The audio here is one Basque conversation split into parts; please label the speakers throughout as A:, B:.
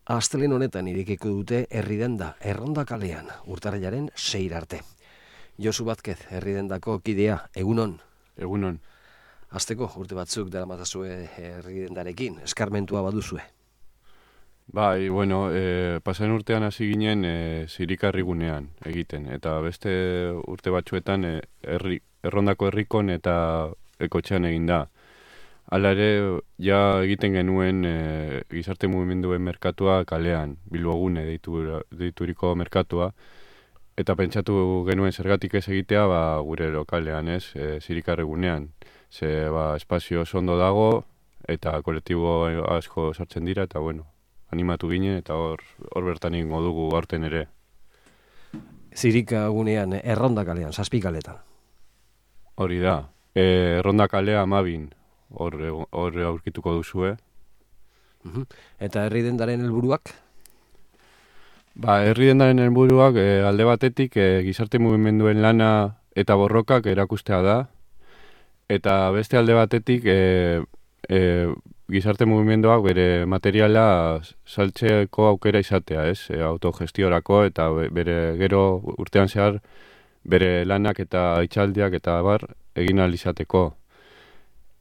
A: Astelehen honetan irekiko dute herridenda Erronda kalean, urtarrilaren 6 arte. Josu Vázquez, herridendako kidea, egunon.
B: Egunon.
A: Hasteko urte batzuk daramatazue herridendarekin, eskarmentua baduzue.
B: Bai, bueno, pasan urtean hasi ginen zirikarrigunean egiten, eta beste urte batzuetan Errondako herrikon eta ekotxean egin da. Hala ere, ja egiten genuen gizarte mugimenduen merkatua kalean, Bilbogune deituriko merkatua, eta pentsatu genuen zergatik ez egitea gure lokalean, zirikarrigunean. Ze espazio oso ondo dago, eta kolektibo asko sartzen dira, eta animatu ginen, eta hor bertan egingo dugu aurten ere.
A: Zirikagunean, Erronda kalean, 7 kaletan.
B: Hori da, Erronda kalea 12, hor aurkituko duzue.
A: Eta herridendaren helburuak?
B: Herridendaren helburuak alde batetik gizarte mugimenduen lana eta borrokak erakustea da, eta beste alde batetik gizarte mugimenduak bere materiala saltzeko aukera izatea, autogestiorako, eta bere gero urtean zehar bere lanak eta itxaldiak eta egin ahal izateko.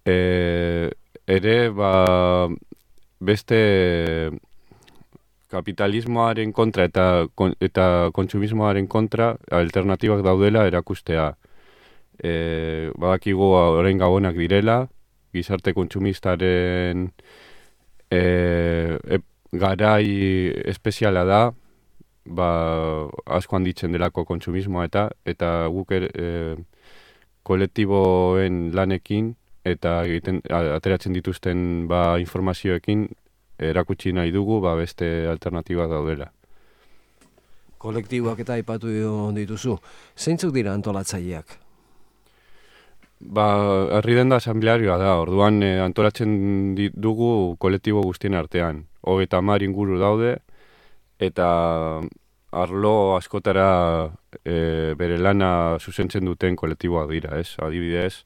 B: Ere, beste kapitalismoaren kontra eta kontsumismoaren kontra alternatibak daudela erakustea. Badakigu orain gabonak direla, gizarte kontsumistaren garai espeziala da, asko handitzen delako kontsumismoa eta guk kolektiboen lanekin eta ateratzen dituzten informazioekin erakutsi nahi dugu beste alternatibak daudela.
A: Kolektiboak eta aipatu dituzu. Zeintzuk dira antolatzaileak?
B: Herridenda asamblearioa da, orduan antolatzen dugu kolektibo guztien artean. 30 inguru daude, eta arlo askotara bere lana zuzentzen duten kolektiboak dira, adibidez,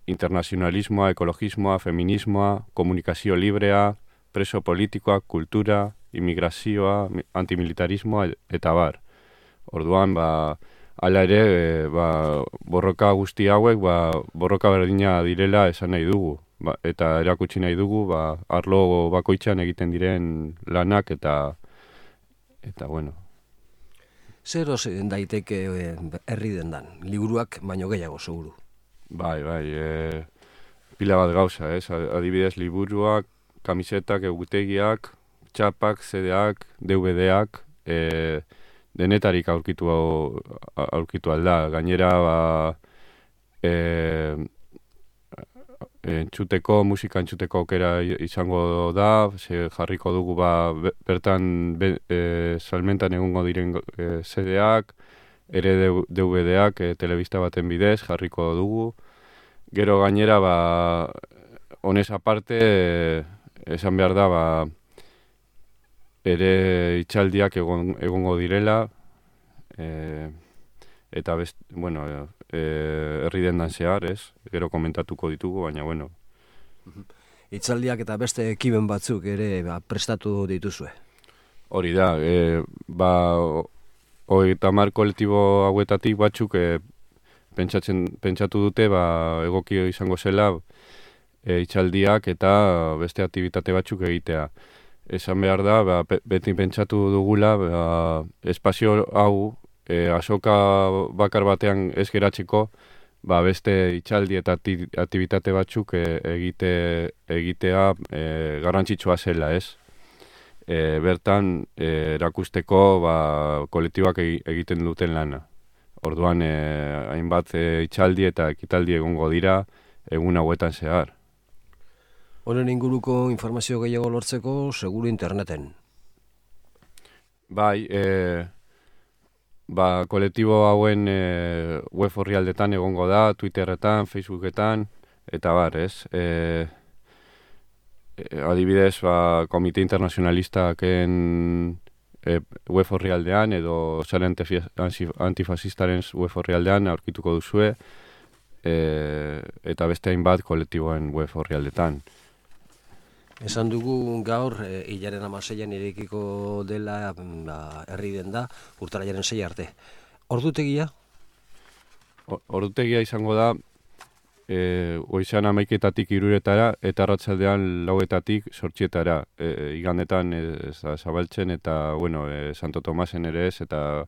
B: internazionalismoa, ekologismoa, feminismoa, komunikazio librea, preso politikoa, kultura, immigrazioa, antimilitarismoa, eta bar. Orduan, hala ere, borroka guzti hauek, borroka berdina direla esan nahi dugu, eta erakutsi nahi dugu, arlo bakoitzean egiten diren lanak, eta bueno.
A: Zer daiteke herridendan? Liburuak baino gehiago, seguru.
B: Bai, pila bat gauza, adibidez liburuak, kamisetak, egutegiak, txapak, CD-ak, DVD-ak, denetarik aurkitu alda. Gainera, musika entzuteko aukera izango da, jarriko dugu bertan salmentan egongo diren CD-ak, ere DVD-ak telebista baten bidez jarriko dugu. Gero gainera, honez aparte, esan behar da, ere itxaldiak egongo direla, eta herridendan zehar, gero komentatuko ditugu, baina bueno.
A: Itxaldiak eta beste ekiben batzuk ere prestatu dituzue? Hori
B: da, 30 kolektibo hauetatik batzuk pentsatu dute egokio izango zela itxaldiak eta beste aktibitate batzuk egitea. Esan behar da, beti pentsatu dugula espazio hau azoka bakar batean ez geratzeko, beste itxaldi eta aktibitate batzuk egitea garrantzitsua zela, bertan erakusteko kolektiboak egiten duten lana. Orduan, hainbat itxaldi eta ekitaldi egongo dira egun hauetan zehar.
A: Honen inguruko informazio gehiago lortzeko, seguru interneten.
B: Bai, kolektibo hauen web orrialdetan egongo da, Twitterretan, Facebooketan, eta adibidez, Komite Internazionalistaken web orrialdean edo Sare Antifasistaren web orrialdean aurkituko duzue, eta beste hainbat kolektiboen web orrialdetan.
A: Esan dugu gaur, hilaren 16an irekiko dela herri denda, urtarrilaren 6 arte. Ordutegia?
B: Ordutegia izango da, goizan 11etatik 3etara eta arratsaldean 4etatik 8etara. Igandetan ez da zabaltzen eta, bueno, Santo Tomasen ere ez eta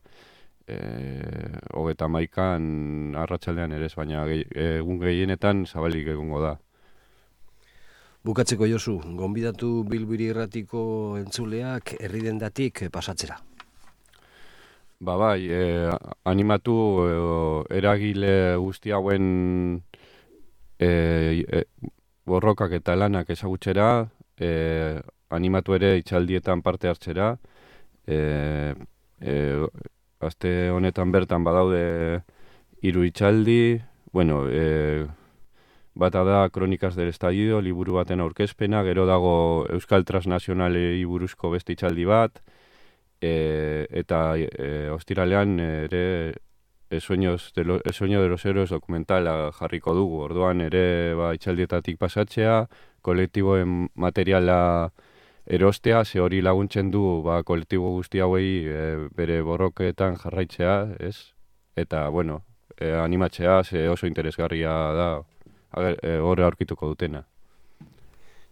B: 31an arratsaldean ere ez, baina egun gehienetan zabalik egongo da.
A: Bukatzeko Josu, gonbidatu Bilbiri Irratiko entzuleak herri dendatik pasatzera.
B: Bai, animatu eragile guzti hauen borrokak eta lanak ezagutzera, animatu ere itxaldietan parte hartzera, aste honetan bertan badaude 3 itxaldi, bueno, bata da Kronikaz del Estallido, liburu baten aurkezpena, gero dago Euskal Transnazionalei buruzko beste itxaldi bat, eta ostiralean ere El sueño de los héroes dokumentala jarriko dugu. Orduan ere itxaldietatik pasatzea, kolektiboen materiala erostea, ze hori laguntzen du kolektibo guzti hauei bere borroketan jarraitzea, ez? Eta, bueno, animatzea, ze oso interesgarria da, horre aurkituko dutena.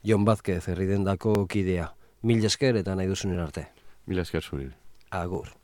A: Jon Vázquez, herri dendako kidea. Mil esker eta nahi duzunen arte.
B: Mil esker zuri.
A: Agur.